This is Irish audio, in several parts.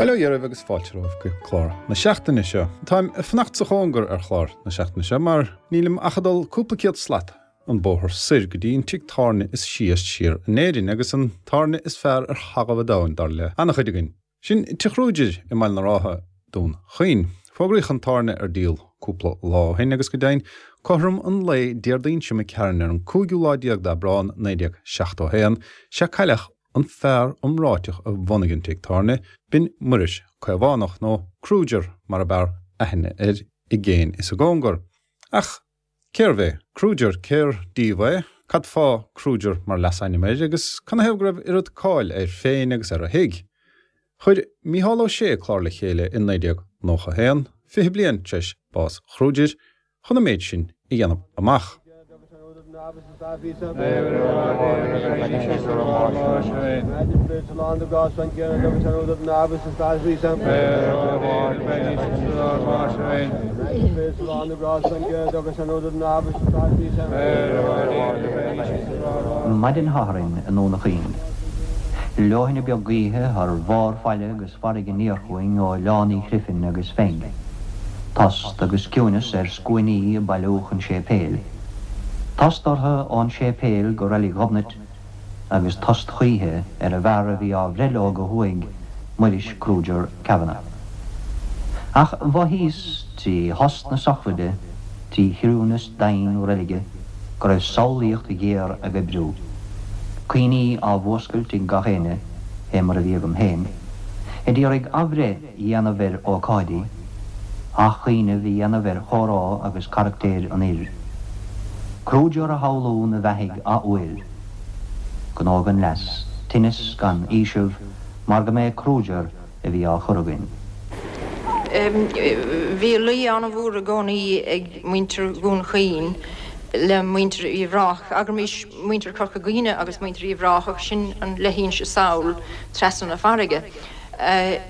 Bail ó Dhia oraibh agus fáilte romhaibh go clár na seachtaine seo. Táim ag fanacht sa chóngar ar chlár na seachtaine seo mar nílim ach ag dul cúpla céad slat an bóthar soir go dtí an tigh tábhairne is sia siar in Éirinn agus an tábhairne is fearr ar thalamh an domhain dar le an-chuid againn. Sin Tigh Kruger i mBaile na Rátha, Dún Chaoin. Fógraíodh an tábhairne ar díol cúpla lá ó shin agus go deimhin, cothrom an lae Déardaoin seo imigh tharainn ar an cúigiú lá déag d'Aibreán 1971, sea cailleadh an fear iomráiteach a bhunaigh an tigh tábhairne, b'in Muiris Caomhánach, nó Kruger mar ab fhearr aithne air i gcéin is i gcóngar. Ach Cérbh é Kruger? Cér díobh é? Cad fáth Kruger mar leasainm air agus canathaobh go raibh oiread cáil air féin agus ar a thigh? Chuir Mícheál Ó Sé clár le chéile i 1991, 20 bliain tar éis bás Kruger, chun an méid sin a dhéanamh amach. Maidin Shathairn i nDún Chaoin. Leoithne beag gaoithe thar bharr faille agus farraige aniar chugainn ó Oileán Uí Chriomhthain agus Pheig. Tost agus ciúineas ar scuainí ag bailiú chun séipéil. Tost orthu ón séipéal go Reilig Ghobnait agus tost choíche ar an bhfear a bhí á bhreith leo go huaigh Muiris Kruger Kavanagh. Ach mhothaíos trí thost na sochraide, trí chiúineas doimhin na reilige, go raibh samhlaíocht ghéar ag oibriú. Cuimhní á bhfuascailt ag gach éinne, fé mar a bhí agam féin, a d'iarraidh athbhreith a dhéanamh ar ócáidí, athchuimhneamh a dhéanamh ar chomhrá agus caractéir an fhir. Kruger a shamhlú 'na bheathaidh athuair. Gnó gan leas, tinneas gan fhaoiseamh, mar go mb'é Kruger a bhí á chur againn. Bhí luí an-mhór i gcónaí ag muintir Dhún Chaoin le muintir Uíbh Ráthach. Abraimis muintir Chorca Dhuibhne agus muintir Uíbh Ráthach, sin an leithinse sall trasna na farraige,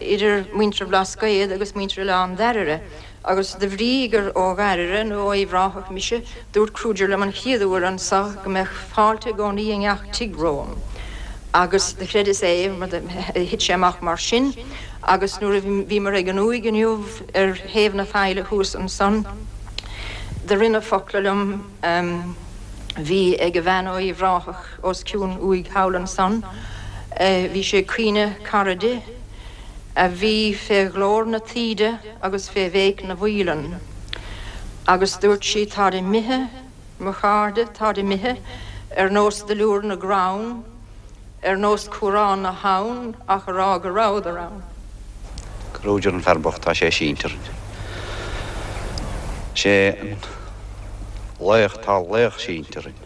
idir muintir Bhlascaod agus muintir Oileán Dairbhre. Agus de bhrí gur ó Dhairbhre nó ó Uíbh Ráthach mise, dúirt Kruger liom an chéad uair anso go mbeadh fáilte i gcónaí i ngach tigh romham. Agus do chreideas é, mar thit sé amach mar sin. Agus nuair a bhíomar ag an uaigh inniu ar thaobh na faille thuas ansan, do roinn a focla liom, bhí ag a bhean ó Uíbh Ráthach os cionn uaigh thall ansan, bhí sé ag caoineadh cara di, a bhí fé ghlór na taoide, agus fé bhéic na bhfaoileán. Agus dúirt sí, Táid imithe, mo chairde, táid imithe, ar nós duilliúr na gcrann, ar nós cuarán na habhann, ach a rá go rabhadar ann. Kruger an fear bocht tá sé sínte orainn. Sé an laoch, tá laoch sínte orainn.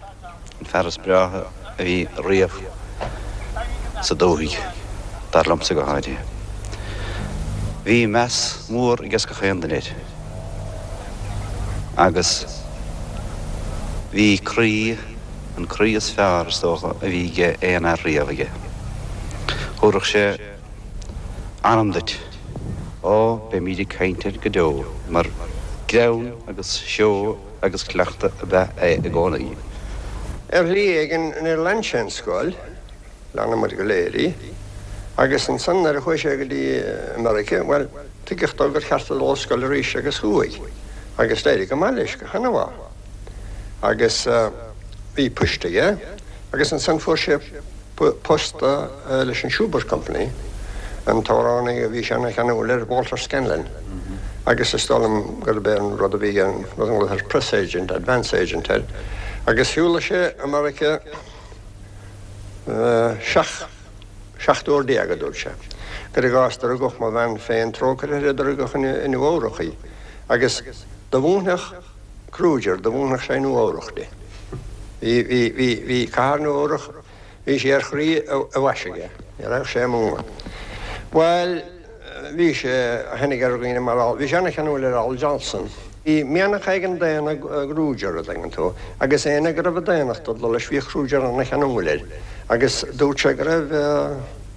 An fear is breátha a bhí riamh sa dúthaigh, dar liomsa go háirithe. Bhí meas mór aige gach aon duine air agus bhí croí, an croí is fearr, is dócha, a bhí ag aon fhear riamh aige. Thabharfadh sé anam duit. Ó, beimíd ag caint air go deo, mar greann agus seó agus cleachtadh ab ea é i gcónaí. Ar shlí éigin níor lean sé an scoil, lean muid go léir í, agus ansan nuair a chuaigh sé go dtí America, bhuel, tuigeadh dó gur cheart dó dul ar scoil arís agus chuaigh, agus d'éirigh go maith leis, go han-mhaith. Agus bhí poist aige agus ansan fuair sé post leis an Shubert Company, an t-amhránaí a bhí sé ana-cheanúil air, Walter Scanlon, agus is dóigh liom gurb é an rud a bhí an rud a nglaotar press agent, advance agent air, agus shiúlaigh sé America 17 uair, a dúirt sé. Cuir i gcás, do rugadh mo bhean féin, trócaire uirthi, do rugadh i Nua Eabhrach í, agus do mhúinfeadh Kruger, do mhúinfeadh sé i Nua Eabhrach di. Bhí, bhí, bhí, bhí cathair Nua Eabhrach, bhí sí ar chroí a bhais aige. Ní raghadh sé amú. Bhuel, bhí sé, tháinig ar dhaoine mar Al, bhí sé ana-cheanúil ar Al Jolson. Bhí mianach éigin daonna i gKruger, a dtuigeann tú, agus éinne go raibh an daonnacht ag dul leis, bhí Kruger ana-cheanúil air. Agus dúirt sé go raibh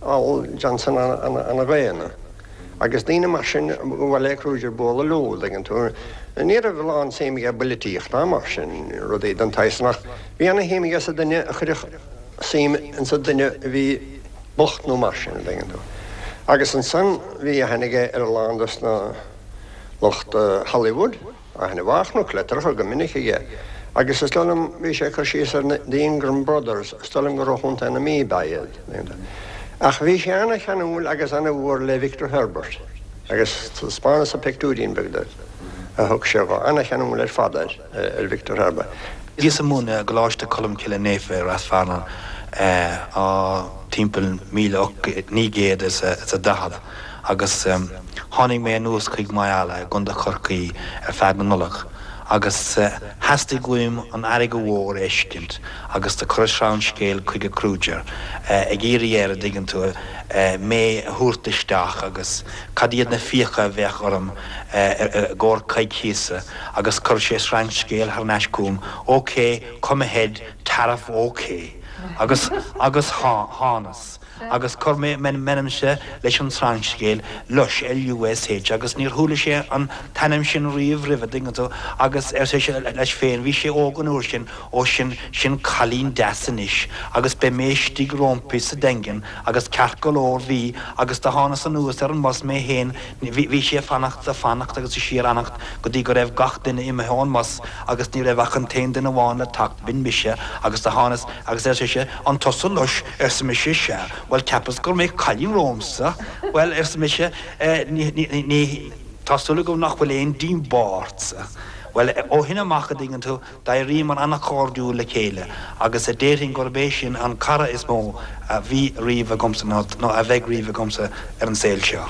Al Johnson ana-dhaonna. Agus daoine mar sin, ba mhaith le Kruger bualadh leo, an dtuigeann tú. Ní raibh a lán suim aige i bpoilitíocht ná mar sin, rudaí den tsaghas san, ach bhí ana-shuim aige sa duine a chuirfeadh suim insa duine a bhí bocht nó mar sin, an dtuigeann tú. Agus ansan bhí aithne aige ar a lán dos na lucht Hollywood, aithne mhaith chonac litreacha go minic aige. Agus is dóigh liom, bhí sé ag cur síos ar na The Ingram Brothers, is dóigh liom gur ó Chontae na Mí ab ea iad. Ach bhí sé ana-cheanúil agus ana-mhór le Victor Herbert agus taispeánadh-sa pictiúirín beag de a thug sé dho, ana-cheanúil ar fad air, ar Victor Herbert. Bhíos ag múineadh i gColáiste Cholmcille Naofa i Rath Fearnáin timpeall 1940 agus tháinig mé anuas chuig Maigh Eala i gContae Chorcaí ar feadh na Nollag agus theastaigh uaim an fharraige mhór a fheiscint agus do chuireas sreangscéal chuige Kruger ag iarraidh air, a dtuigeann tú, mé a thabhairt isteach agus cad iad na fiacha a bheadh orm i gcomhair coicíosa agus chuir sé sreangscéal thar n-ais chugam, OK, come ahead, tariff OK. Agus, agus thánas. Agus chuir mé m'ainmse leis an sreangscéal, Lush, L-U-S-H, agus níor chuala sé an t-ainm sin riamh roimhe, dtuigeann tú, agus ar seisean leis féin, bhí sé óg an uair sin, ó sin, sin cailín deas anois, agus beidh mé istigh róimpi sa Daingean, agus ceart go leor, bhí, agus do thánas anuas ar an mbus mé féin, Bhí sé ag fanacht, ag fanacht agus ag síorfhanacht go dtí go raibh gach duine imithe ón mbus agus ní raibh ach an t-aon duine amháin le teacht, b'in mise, agus do thánas agus ar sise, An tusa Lush? arsa mise, Sea. Bhuel, cheapas go mbeadh cailín romhamsa. Bhuel, arsa mise, ní, ní, ní, tá súil agam nach bhfuil aon díobá ortsa. Bhuel, ó shin amach, a dtuigeann tú, D'éiríomar an-chairdiúil le chéile agus déarfainn gurb é sin an cara is mó a bhí riamh agamsa nó a bheidh riamh agamsa ar an saol seo.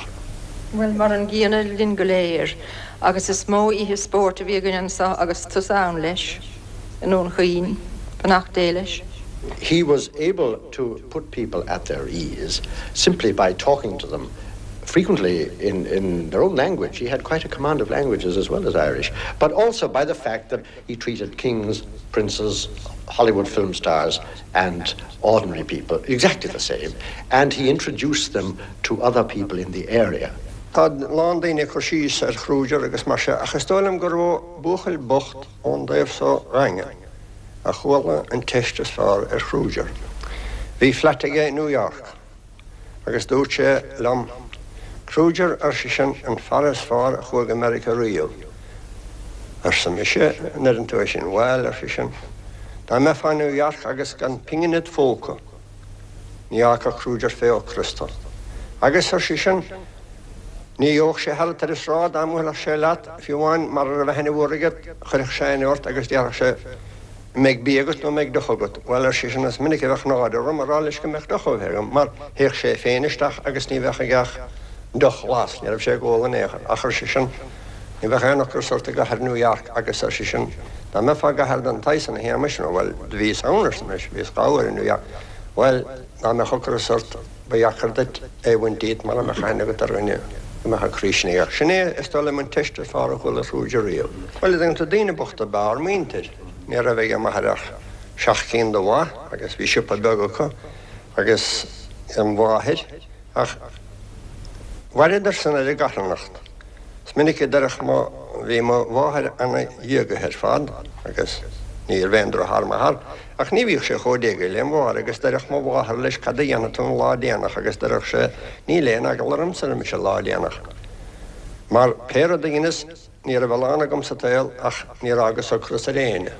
Bhuel, mar an gcéanna linn go léir, agus is mó oíche spóirt a bhí againn anso agus tusa ann leis, i nDún Chaoin, beannacht Dé leis. He was able to put people at their ease simply by talking to them frequently in, in their own language. He had quite a command of languages as well as Irish, but also by the fact that he treated kings, princes, Hollywood film stars and ordinary people exactly the same, and he introduced them to other people in the area. Tá a lán daoine ag cur síos ar Kruger agus mar sin ach is dóigh liom gur ó buachaill bocht ón dtaobh so Dhaingean a chuala an teist is fearr ar Kruger. Bhí flat aige i New York. Agus dúirt sé liom, Kruger, ar seisean, an fear is fearr a chuaigh go Meiriceá riamh. Arsa mise, an ndeireann tú é sin? Bhuel, ar seisean, dá mbeifeá i New York agus gan pingin id phóca, ní fhágfadh Kruger fé ocras tú. Agus, ar seisean, ní gheobhadh sé tharat ar an sráid dá mbuailfeadh sé leat, fiú amháin mara raibh aithne mhór aige, chuirfeadh sé aithne ort agus déarfadh sé, An mbeidh bia agat nó an mbeidh deoch agat? Bhuel, ar seisean, is minic a bheadh náire orm a rá leis go mbeadh deoch a bheith agam, mar théadh sé féin isteach agus ní bheadh aige ach deoch ghlas, ní raibh sé ag ól in aon chor. Ach, ar seisean, ní bheadh aon ocras ort i gcathair New York agus, ar seisean, dá mbeifeá i gcathair den tsaghas san, a Shéamais, nó, bhuel, do bhíos ann, arsa mise, bhíos dha uair i New York, bhuel, dá mbeadh ocras ort, ba dheacair duit é a bhaint díot mara mbeadh aithne agat ar dhuine go mbeadh an croí sin aige. Sin é, is dóigh liom, an teist is fearr a chuala Kruger riamh. Bhuel, an dtuigeann tú, daoine bochta ab ea ár muintir. Ní raibh ag m'athair ach seacht gcinn de bha agus bhí siopa beag acu agus an mháthair ach mhaireadar san ar an gcarthanacht. Is minic a deireadh mo, bhí mo mháthair ana-dhiagaithe ar fad agus níorbh aon droch-fhear m'athair Ach ní bhíodh sé chomh diaga le mháthair agus deireadh mo mháthair leis cad a dhéanfaidh tú an lá déanach agus deireadh sé níl aon eagla ormsa ar mise an lá déanach mar pé rud a dheineas ní raibh a lán agam sa tsaol ach níor fhágas ocras ar éinne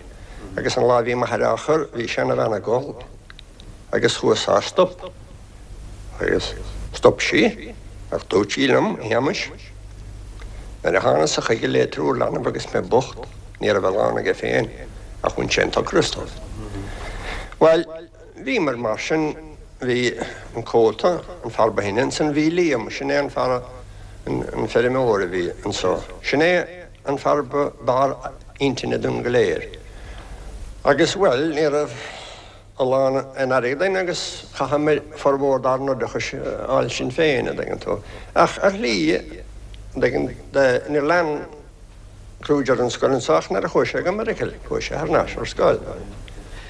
agus an lá a bhí m'athair á chur bhí seanabhean ag gol agus chuas á stop. Agus stop sí, ach dúirt sí liom, a Shéamais, nuair a thánasa chuige le triúr leanbh agus mé bocht, ní raibh a lán aige féin, ach bhain sé an t-ocras domh. Bhuel, bhíomar mar sin, bhí an cóta, an fear ba shine ansan, bhí Liam, sin é an fear, an feirmeoir a bhí anso, sin é an fear ba bhfearr intinne dúinn go léir. Agus, bhuel, ní raibh. a lán aon airgead againn agus chaitheamar formhór dár n-oideachais a fháil sinn féin, a dtuigeann tú. Ach ar shlí, a dtuigeann, níor lean Kruger an scoil anso ach nuair a chuaigh sé go Meiriceá, chuaigh sé thar n-ais ar scoil.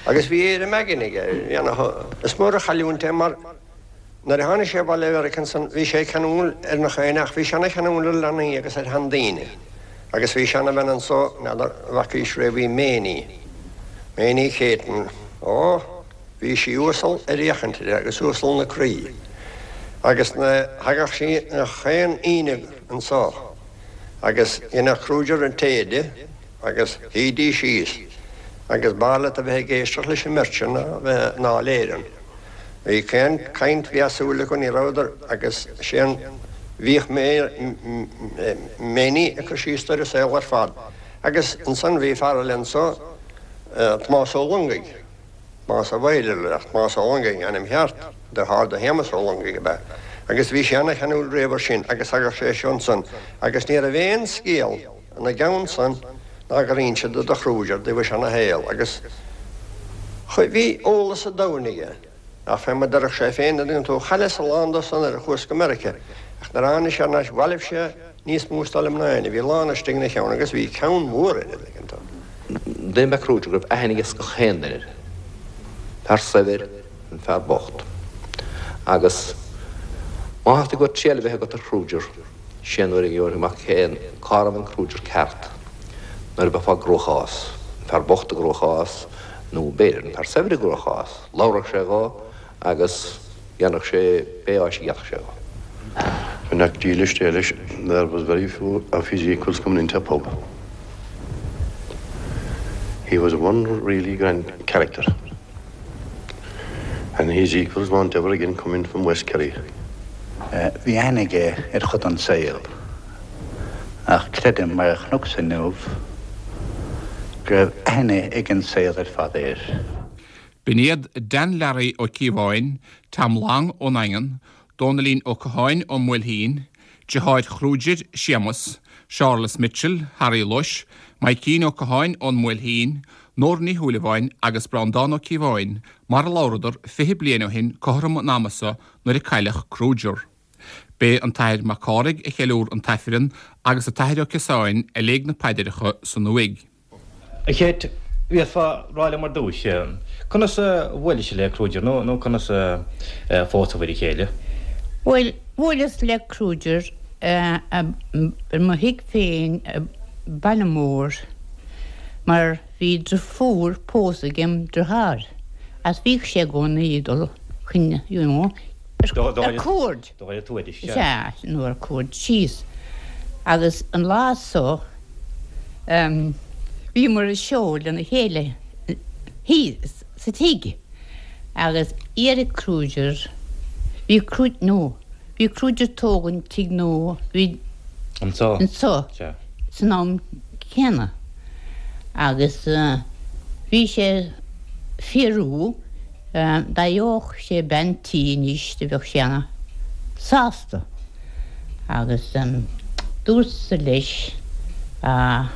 Agus bhí éirim aigne aige, bhí ana, is mór an chailliúint é mar nuair a tháinig sé abhaile ó Mheiriceá ansan bhí sé ceanúil ar nach éinne ach bhí sé ana cheanúil ar leanaí agus ar sheandaoine. Agus bhí seanabhean anso, n'fheadar an bhfacaís riamh í, Méiní. Méiní Céitinn. Ó, bhí sí uasal ar fhéachaint uirthi agus uasal 'na croí. Agus thagadh sí chaon Aoine anso agus dheineadh Kruger an tae di agus shuídís síos agus b'fhearr leat a bheith ag éisteacht leis an mbeirt sin ná bheith i nDáil Éireann. Bhí caon caint mheasúil acu, ní rabhadar agus sé an bhíodh Méiní ag cur síos ar an saol ar fad. Agus ansan bhí fear eile anso, Tomás Ó Longaigh, Tomás a' Mhaoilil, ach Tomás Ó Longaigh an ainm cheart, deartháir do Shéamus Ó Longaigh ab ea. Agus bhí sé ana-cheanúil riamh ar sin agus thagadh sé seo ansan agus ní raibh aon scéal ina gceann san ná gur inseadar do Kruger dtaobh a seana-shaol agus bhí eolas an domhain aige. Ach fé mar deireadh sé féin, an dtuigeann tú, chailleas a lán dó san nuair a chuas go Meirice, ach nuair a tháinig sé thar n-ais bhailigh sé níos mó is dóigh liom ná éinne, bhí a lán istigh ina cheann agus bhí ceann mhór air, an dtuigeann tú. Duine ab ea Kruger go raibh aithne aige gach aon duine air. Fear saibhir, an fear bocht. Agus má theastaigh uait triail a bheith agat ar Kruger, sé nuair a gheobhair amach cén, cá raibh an Kruger ceart, nuair a bheifeá i gcruachás, an fear bocht i gcruachás, nó b'fhéidir an fear saibhir i gcruachás, labharfadh sé dhó agus dhéanfadh sé pé áis a d'fhéadfadh sé dhó. An-neach dílis é leis, there was very few of his equals coming into a pub. He was one really grand character and his equals won't ever again come in from West Kerry. Bhí aithne aige ar chuid den saol, ach creidim, mar a chonacsa inniu, go raibh aithne ag an saol ar fad air. B'in iad Dan Learaí Ó Cíobháin, Tom Long ón nDaingean, Dónaillín Ó Catháin ón mBuailtín, deartháir Kruger, Séamus, Seárlas Mitchell, Harry Lush, Maidhcín Ó Catháin ón mBuailtín, Nóra Ní Shúilleabháin agus Breandán Ó Cíobháin, mar a labhradar 20 bliain ó shin cothrom an ama so nuair a cailleadh Kruger. B'é an tAthair Mac Cárthaigh a cheiliúr an tAifreann agus an tAthair Ó Ciosáin a léigh na paidreacha san uaigh. A Chéit, bhféadfá rá liom ar dtúis, conas a bhuailis le Kruger nó nó conas a phósabhair a chéile? Bhuel, bhuaileas le Kruger i mo thigh féin i Baile Mór mar bhí driofúr pósta agem driotháir agus bhíodh sé i gcónaí ag dul chun, you know, ar cuaird. Sea, nó ar cuaird síos. Agus an lá so, bhíomar ag siúl lena chéile thíos sa tigh agus d'éirigh Kruger, bhí Kruger, no, bhí Kruger ag tógaint tigh nua, bhí, Anso. anso, san am céanna agus bhí sé ag fiafraí dá gheobhadh sé bean tí anois do bheadh sé ana sásta agus dúrtsa leis a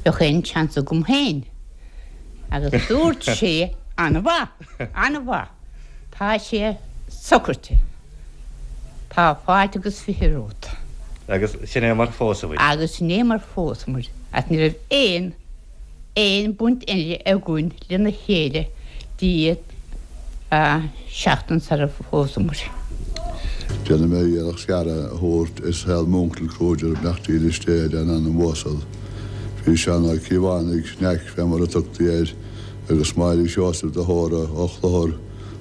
bheadh aon chance agam féin agus dúirt sé ana mhaith, ana mhaith, tá sé socraithe, tá fáilte agus 20 romhat. Agus sin é mar phósabhair. Agus sin é mar phósamair agus ní raibh aon. aon bhaint eile againn lena chéile dtí seachtain sar a phósamair. Déanfaidh mé iarracht scaradh a thabhairt i saol m'uncail Kruger beannacht dhílis Dé lena anam uasal. Bhí Seán Ó Cíobhánaigh, Neaic fé mar a tugtaí air, agus Máire Sheosaimh de hÓra ó Chlochar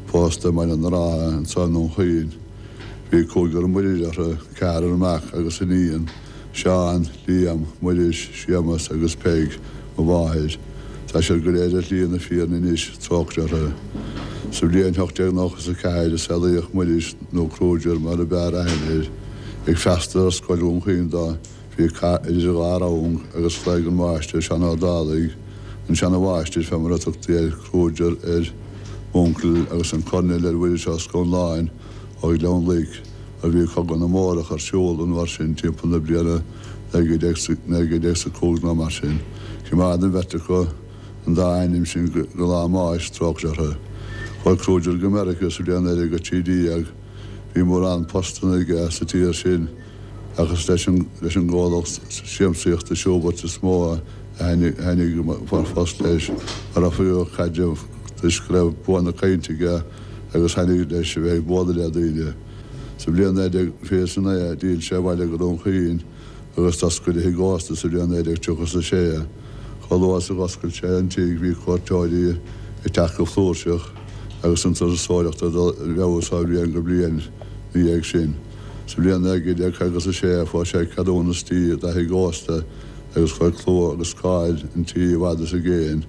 pósta i mBaile na Rátha anso i nDún Chaoin. Bhí cúigear muirir orthu, ceathrar mac agus iníon. Seán, Liam, Muiris, Séamas agus Peig, mo mháthair. Tá siad go léir ar shlí na fírinne anois, trócaire orthu. Sa bhliain 1894 a saolaíodh Muiris, nó Kruger mar a b'fhearr aithne air. Ag freastal ar Scoil Dhún Chaoin dó, bhí cath idir dhá rang agus ghlaoigh an máistir, Seán Ó Dálaigh, an seana-mháistir fé mar a tugtaí air, Kruger ar m'uncail agus an Coirnéal ar Mhuiris Ó Scanláin ó Ghleann Loic. mar bhí Cogadh na mBórach ar siúl an uair sin timpeall na bliana 1905 nó mar sin. Choimeád an bheirt acu an dá ainm sin go lá a mbáis, trócaire orthu. Chuaigh Kruger go Meiriceá sa bhliain 1913. Bhí mórán postanna aige sa tír sin ach is leis an gcomhlacht siamsaíochta Shubert is mó a thaitnigh an post leis mar oifigeach caidrimh toisc go raibh bua na cainte aige agus thaitnigh leis a bheith ag bualadh le daoine. Sa bhliain 1929 d'fhill sé abhaile go Dún Chaoin agus d'oscail a thigh ósta sa bhliain 1936. Chomh luath is a dh'oscail sé an tigh bhí cuairteoirí ag teacht go flúirseach agus an turasóireacht ag dul i bhfeabhas ó bhliain go bliain. ina dhiaidh sin. Sa bhliain 1956 fuair sé ceadúnas tí do thigh ósta agus chuir clú agus cáil an tí i bhfad is i gcéin.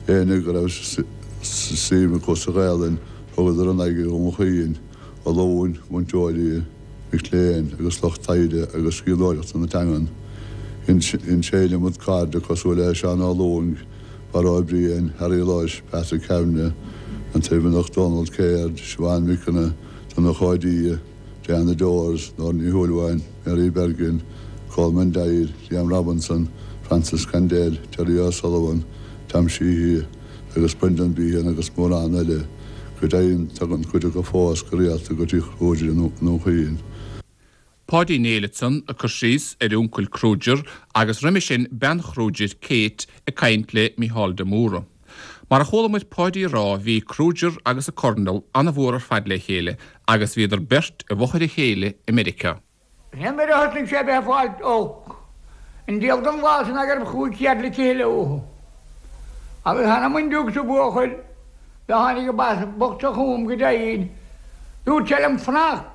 Éinne go raibh suim acu sa Ghaelainn thugadar a n-aghaidh go Dún Chaoin, ollúin, múinteoirí, mic léinn agus lucht taighde agus scríbhneoireachta na teangan. Dhein sé iliomad cairde cosúil le Seán Ó Lúing, Barra Ó Briain, Harry Walsh, Patrick Kavanagh, an Toirmhinneach Dónal Caird, Siobhán McKenna, Donncha Ó Dia, Diana Dors, Nóra Ní Shúilleabháin, Mary Bergin, Colman Doyle, Liam Robinson, Francis Condell, Terry O'Sullivan, Tom Sheehy agus Brendan Behan agus mórán eile. Go deimhin, tagann cuid acu fós go rialta go tigh Chruidir i nDún Chaoin. Páidí Néill ansan ag cur síos ar uncail Kruger agus roimhe sin bean Chruidir, Kate, ag caint le Mícheál de Mórdha. Mar a chuala muid Páidí ag rá bhí Kruger agus an Coirnéal ana-mhór ar fad le chéile agus bhíodar beirt i bhfochair a chéile i Meiriceá. Sin nuair a thosnaigh sé a bheith ag fáil olc. An diabhal den lá san ná gur chuaigh cead le chéile uathu. Agus th'anam 'on dtiúg sa bhuachaill do tháinig an bas bocht seo chugam go deimhin. Dúirt sé liom fanacht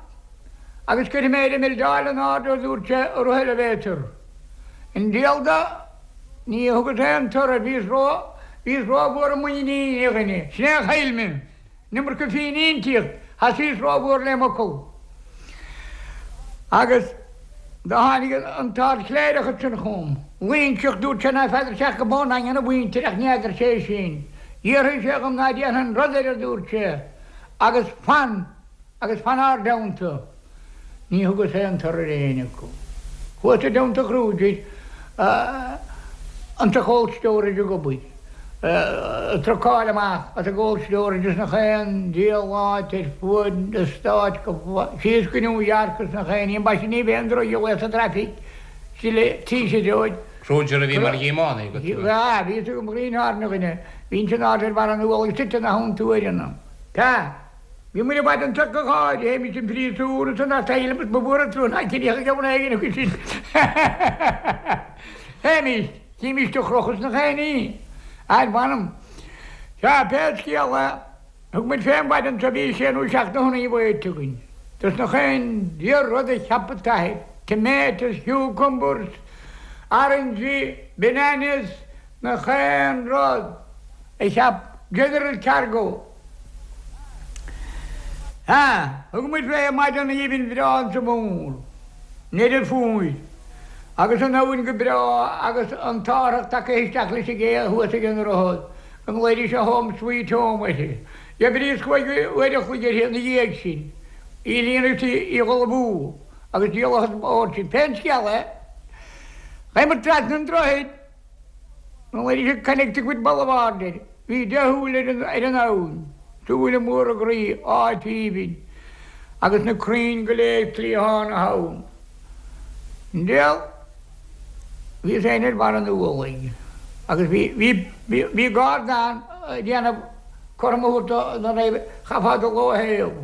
agus cuirfidh mé ar an mbildeáil in airde a dúirt sé a rith elevator. An diabhal do ní thugas aon toradh bhíos ró bhíos ró-mhór i muinín a dhuine. Sin é a chaill mé. An iomarca fíniúntacht, thosaíos rómhór le m'fhocal. Agus do tháinig an t-ardchléireach ansan chugam. Loingseach, dúirt sé ná feadar sé ach go b'ón nDaingean a mhuintir ach ní fheadar sé sin. D'fhiafraigh sé dhom ná déanfainn rud air a dúirt sé, agus fan, agus fan ár dteannta. Ní thugas aon toradh ar éinne acu. Chuas i dteannta Chruidir insa cold storage ag obair, ag trucáil amach as an gcold storage is nach aon diabhal áit ar fuaid an stáit go síos go New York is nach aon ní, ambaiste ní bheidh an drochghléas sa traffic tís a dheoidh. Kruger a bhí mar thiománaí agat? Bhí, bhí fhios agam green horn a dhuine. Bhínnse in airde ar bharr an ualaigh suite ina theannta uaireanna. Tá. Bhí muid i bhfad anseo go háirithe, théimis an phríosún is an asylum is ba mhór an trua ná cinneadh ag am éigin acu sin. Théimis, chímis do chrochadh sna chaonaí. Ar mh'anam. Sea, pé scéal é, thug muid fén bhfad anseo, bhí sé nó seacht de thonnaí weighnte againn. Dos nach aon diabhal rud a cheap an t-athair, tomatoes, cucumbers, oranges, bananas, nach aon rud a cheap General Cargo. Sea, thug muid fé maidin aoibhinn bhreá insa mhór, nDeireadh Fómhair, agus an abhainn go breá agus an t-árthach tagtha isteach leis an gcé thuas ag an droichead, go nglaoidís Home Sweet Home uirthi. D'oibríos chúig uair a chloig uirthi ina dhiaidh sin, í a líonadh is í a dhul amú, agus díoladh an bord sin. Pé scéal é, chuaigh muid trasna an droichid, An bhfuil Connecticut Boulevard air? Bhí dea-shúil ar an abhainn, súile móra groí, áit aoibhinn, agus na crainn go léir cliathán na habhann. Diabhal, bhíos féin ar bharr an ualaigh, agus bhí, bhí, bhí, bhí garda ann ag déanamh cothrom a thabhairt do na raibh, chaithfeá dul ó thaobh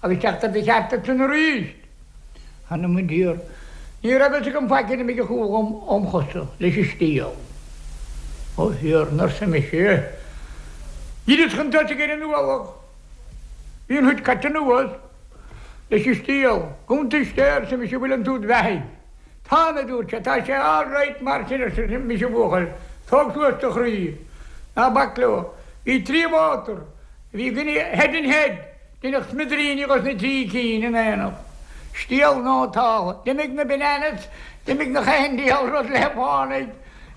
agus teacht ar do cheart ansan arís. Th'anam 'on Tiarna. Ní raibh fhios agam faic ar imigh an chumha óm chosa leis an stiall. A Thiarna, arsa mise. Dhírios chun tosaigh ar an ualach. Bhí an thuit caite anuas leis an stiall. Gabh isteach, arsa mise, bhfuil an t-úd beathaidh. Táim, a dúirt sé, tá sé all right mar sin, arsa mise, a bhuachaill. Tóg suas do chroí. Ná bac leo. Bhí trí mhótar. Bhí duine head and head. Deineadh smidiríní dos na trí cinn in éineacht. Stiall nótálta. D'imigh na bananas, d'imigh nach aon diabhal rud le fánaidh.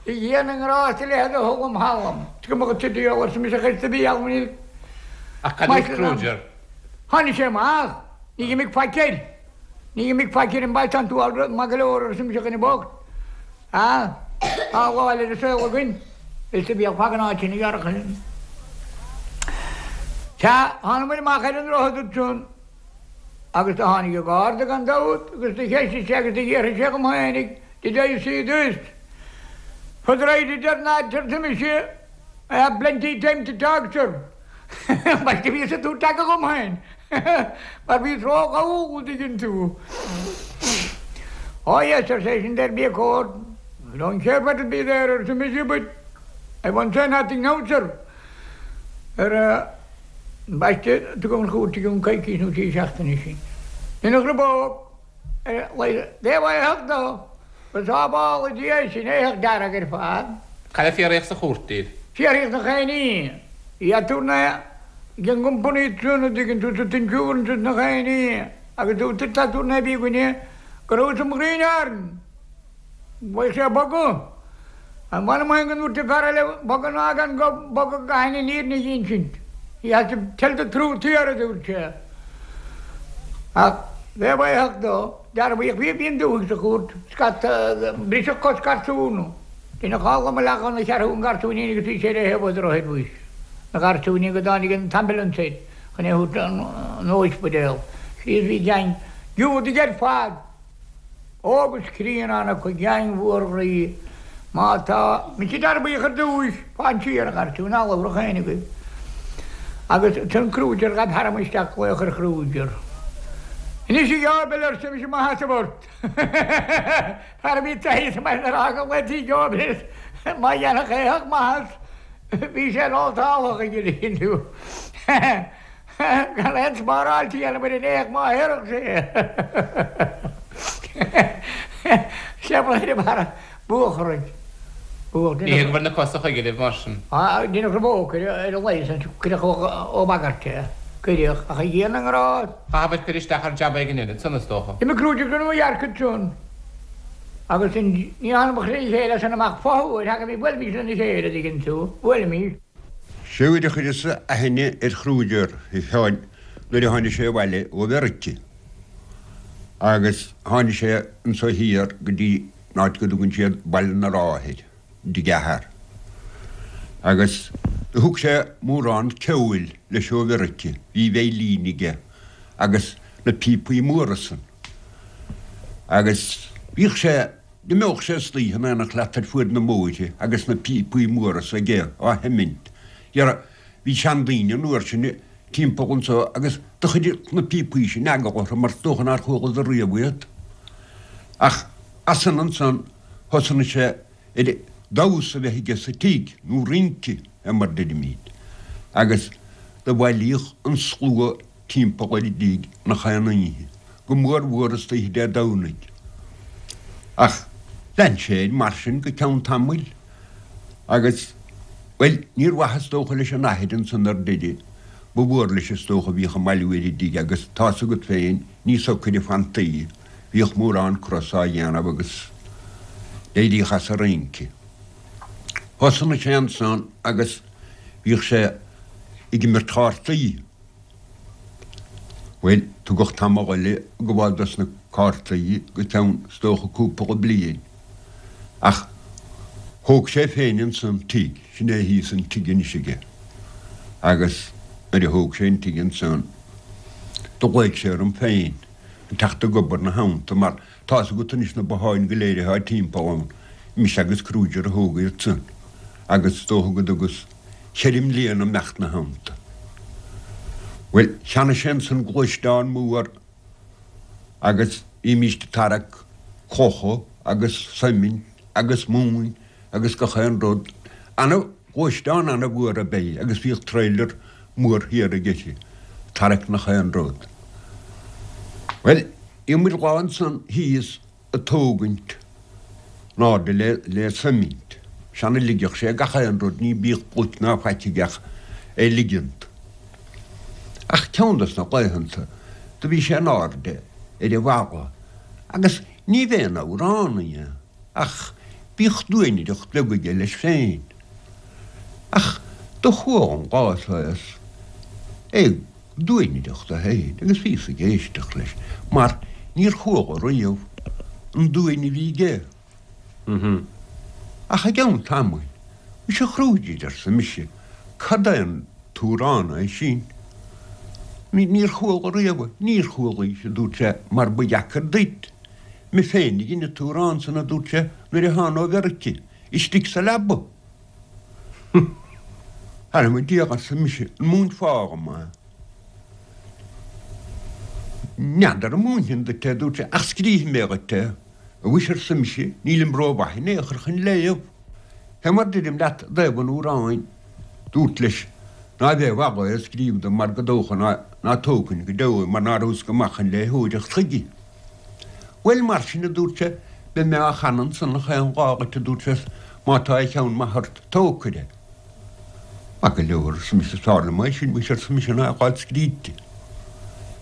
A Dhia na nGrást a leithéid a thuillim thalam. Is cuma dhuit a diabhal, arsa mise, chuir sa bhia níl Ach cad dúirt Kruger? Tháinig sé amach. Ní d'imigh faic air. Ní d'imigh faic air an baile tánn tú all maith go leor, arsa mise, a dhuine bocht. Ah, tá a lá ar an saol againn. Is a bhíodh fag an áit sin a ghearrfadh sin. Sea, tháinig muid amach ar an droichead ansan agus do tháinig an garda gan dabht agus do cheistigh sé agus do dh'fhiafraigh sé dhom fhéinig, Did I see this? For the right it or not, arsa mise, I have plenty time to talk, sir. Mar do bhíos ag tabhairt aga dhom féin mar bhíos ró-dhall, an dtuigeann tú. Oh yes, arsa eisean, there'll be a court. I don't care what will be there, arsa mise, but I won't say nothing now, sir. Ar ambaiste, tugadh an chúirt i gcionn coicís nó trí seachtaine sin. Deineadh crobóg ar a laghad éitheach dó, go sábhála Dia é sin, éitheach dearg ar fad. Cad é fiafraíodh sa chúirt díobh? Fiafraíodh nach aon ní í a tabhair ag an gcompanaí san a dtuigeann tú sa t-insurance nach aon ní agus dúirt an t-aturnae a bhí againne go rabhas im ghrian Bheadh sé ag bogadh. M'anam féin go ndúirt an fear eile bogadh ná gan bogadh caithfidh an fhírinne a dh'insint. He has to tell the truth here, a dúirt sé. Ach bheadh éitheach dó. Dearbhaíodh bhí bhí an dúthaigh sa chúirt. Scata, briseadh cos garsún. Deineadh dhá mo leath dhona cheathrú an garsúinín agus bhí sé ar thaobh an droichid bhuis. Na garsúinín go dtáinig an t-ambulance air chun é a thabhairt an óispidéal. Sea bhí gang Giúdaigh ar fad. Óg is críonna ann acu geaing mhór ghroí. Má tá mise dearbhaíodh ar dtúis, fan siar, a gharsúin, ná labhradh éinne agaibh. Agus ansan Kruger, ghabh tharam isteach glaoch ar Kruger. Anois a Gheoibil, arsa mise, mo sheasamh ort. Fear a bhí taithí sa mbaile ar fhágáil laethaí Gheoibil is má dhéanfadh éitheach maitheas, bhí sé nótálach ag an inniu. Gan aon spáráilt a dhéanamh ar an éitheach má théarfadh sé. Sé ba ar barra buacharaid. Ní hé go bhfuil na cosa chuige libh mar sin. Deineadh rabhadh ar a leigheas ansin, cuireadh ó bhagairt é. Cuireadh, ach a Dhia na nGrást. Chaithfear cur isteach ar jab éigin eile ansan is dócha. D'imigh Kruger go Nua Eabhrac ansan agus ní dhearna mo chroí chéile as san amach fothuair, thagadh, bhuailimis lena chéile, a dtuigeann tú, bhuailimis. Sé uair a chuireas-sa aithne ar Kruger, a Sheáin, nuair a tháinig sé abhaile ó Mheirice. Agus tháinig sé anso thiar go dtí an áit go dtugann siad Baile na Rátha air, i dtigh a athar. Agus do thug sé mórán ceoil leis ó Mheirice, bhí veidhlín aige agus na píopaí móra san. Agus bhíodh sé. D'imeodh sé istoíche in éineacht leat ar fuaid na mbóithre agus na píopaí móra s'aige á sheimint. Dhera, bhí seandaoine an uair sin timpeall anso agus do chuireadh na píopaí sin eagal orthu mar is dócha nár chualadar riamh iad. Ach as san ansan thosnaigh sé ar damhsa a bheith aige sa tigh, nó rince é mar deirimíd, agus do bhailíodh an slua timpeall ar an dtigh nach aon oíche, go mór mhór istoíche Dé Domhnaigh. Ach lean sé air mar sin go ceann tamaill agus, bhuel, níor mhaith is dócha leis an athair ansan ar deireadh, ba mhór leis is dócha a bhíodh ag bailiú ar an dtigh agus tá's agat féin, ní socair a fantaí, bhíodh mórán cros á dhéanamh agus d'éiríodh as an rince. Thosnaigh sé ansan agus bhíodh sé ag imirt chártaí. Bhuel, tugadh tamall eile ag gabháil dos na cártaí go ceann, is dócha, cúpla bliain. Ach thóg sé féin ansan tigh, sin é thíos an tigh anois aige. Agus nuair a thóg sé an tigh ansan, do ghlaoigh sé orm féin chun teacht ag obair 'na theannta, mar Tá's agat anois na botháin go léir atá timpeall ann, mise agus Kruger a thóg iad san, agus is dócha go dtugas cheithre mbliana imeacht 'na theannta. Bhuel, cheannaigh sé ansan gluaisteán mór agus bhímíst ag tarrac clocha agus soimint agus móin agus gach aon rud. Ana, ghluaisteán ana mhór ab ea é agus bhíodh trailer mór thiar aige ag tarrac nach aon rud. Bhuel, Bhí muid lá ansan thíos ag tógaint in airde le le soimint. Sean a ligeadh sé gach aon rud, ní bíodh pluic ná faic aige ach é ligint. Ach ceann dos na laethanta do bhí sé in airde ar an bhalla agus ní b'aon amhránaí é ach bíodh duainireacht bheag aige leis féin. Ach do chuala an lá so é ag duainireacht é féin agus bhíos ag éisteacht leis mar níor chuala riamh an duain a bhí aige. Ach i gceann tamaill, Muise a Kruger, arsa mise, cad é an t-amhrán é sin? Níor chuala riamh é. Níor chualaís, a dúirt sé, mar ba dheacair duit. Mé féin a dhein an t-amhrán san, a dúirt sé, nuair a thána ó Mheirice, istigh sa leaba. Thar mo Dhia, arsa mise, an múinfeá dhom é? N'fheadar an múinfinn duit é, a dúirt sé, ach scríobhfaidh mé dhuit é. Mhuise, arsa mise, nílim rómhaith in aon chor chun léamh. Fé mar deirim leat i dtaobh an amhráin, dúrt leis. Ná bheith i bhfad é a scríobh dom mar gur dócha ná tógfainn go deo é mar ná rabhas go maith chun léitheoireacht chuige. Bhuel, mar sin, a dúirt sé, beidh mé á chanadh ansan chaon lá dhuit, a dúirt sé, má tá a cheann maith ort, tógfair é. Maith go leor, arsa mise, is fearr liom é sin, muise, arsa mise, ná a dh'fháil scríte.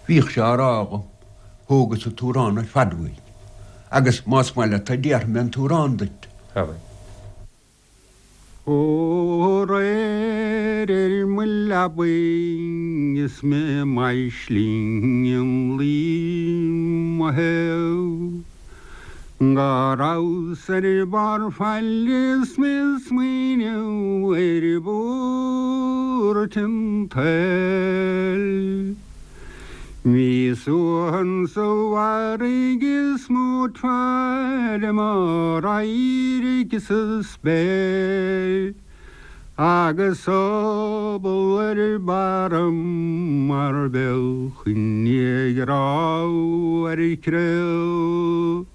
Bhíodh sé á rá dhom, thógas an t-amhrán ar fad uaidh, agus más maith leat é déarfaidh mé an t-amhrán duit. Abair. Ó aréir ar mo leabaidh is mé m'fhaisling im luí mo thaobh Go rabhas ar barr faille is mé smaoineamh ar bhuairt an tsaoil Bhí suan sa bhfarraige is mó faire mo radhairc sa spéir agus sobal ar barra mar bheadh i ngrá ar creall.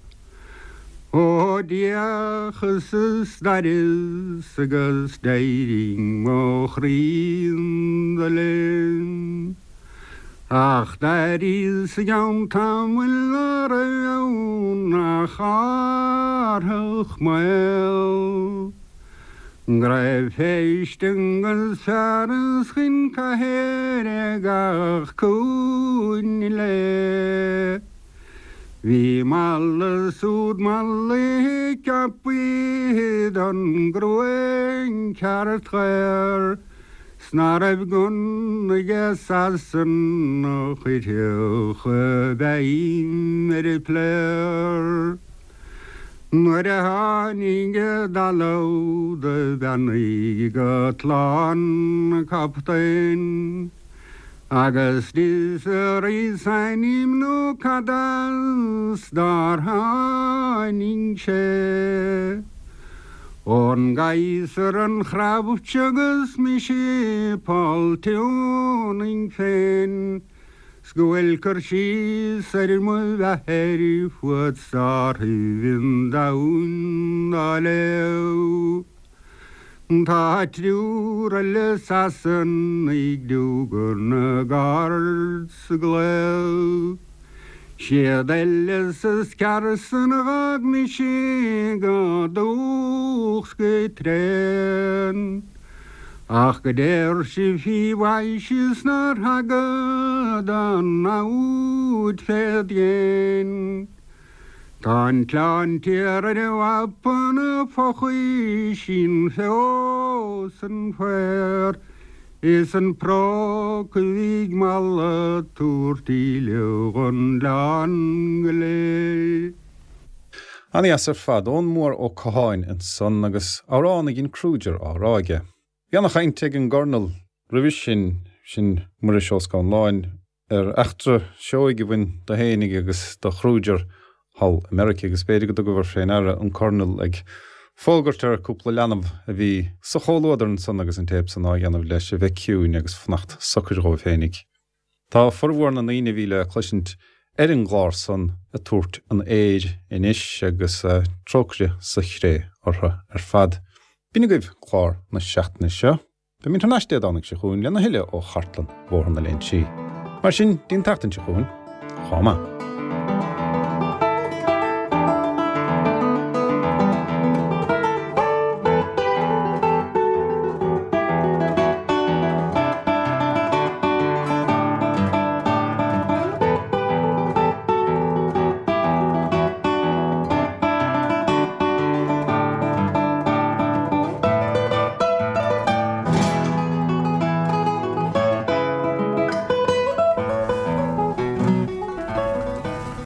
Ó d'fhéachas is d'aireas agus d'éirigh mo chroí 'na linn. Ach d'airíos i gceann tamaill ná raibh ann ach árthach maol. Go raibh feiste agus fearas chun cathair ag gach cúinne léi. Bhí mala súd malaithe ceapaithe don gcruinn ceart ghaor. 'S ná raibh gunna ag Sasanach a chuirfeadh a bheinn ar a pléar. Nuair a tháinig i dtalamh do bheannaigh go tláth an captaen agus d'fhiosraíos ainm nó cad as dár tháinig sé. Ón gCaesar an chreamh agus mise Paul Tuning féin 's go bhfuil cur síos ar mo bheatha fud stárthaibh an domhain dá léamh. Tá triúr eile Sasanaigh diúgar na gcard sa gclaíomh. Siad Ellis is Carson a dh'fhág mise go dúch 's go tréan. Ach go deir sibh fí mhaise is nár thaga don namhaid fé dhéin. Tá an tOileán Tiar ar an mhapa 'na fochaisín fós an faor. Is an práca a bhí ag Mala ag tabhairt íle dhon oileán go léir. Ana-dheas ar fad. Eoghan Mór Ó Catháin ansan agus amhrán a dhein Kruger á rá aige. Bhí ana-chaint ag an gCornal roimhe sin, sin Muiris Ó Scanláin, ar eachtra seoigh a bhain do fhéinig agus do Chruger thall i Meirice agus b'fhéidir go dtugabhair fé ndeara an Cornal ag fógairt ar cúpla leanbh a bhí sa chomhluadar ansan agus an téip san á dhéanamh leis a bheith ciúin agus fanacht socair dhóibh fhéinig. Tá formhór na ndaoine a bhí le cloisint ar an gclár san ag tabhairt an aeir anois agus trócaire sa chré orthu ar fad. B'in agaibh clár na seachtaine seo. Beimid thar n-ais Dé Domhnaigh seo chugainn lena thuilleadh ó chartlann Bhóthar na Léinsí. Mar sin, dtí'n tseachtain seo chugainn, chomh maith.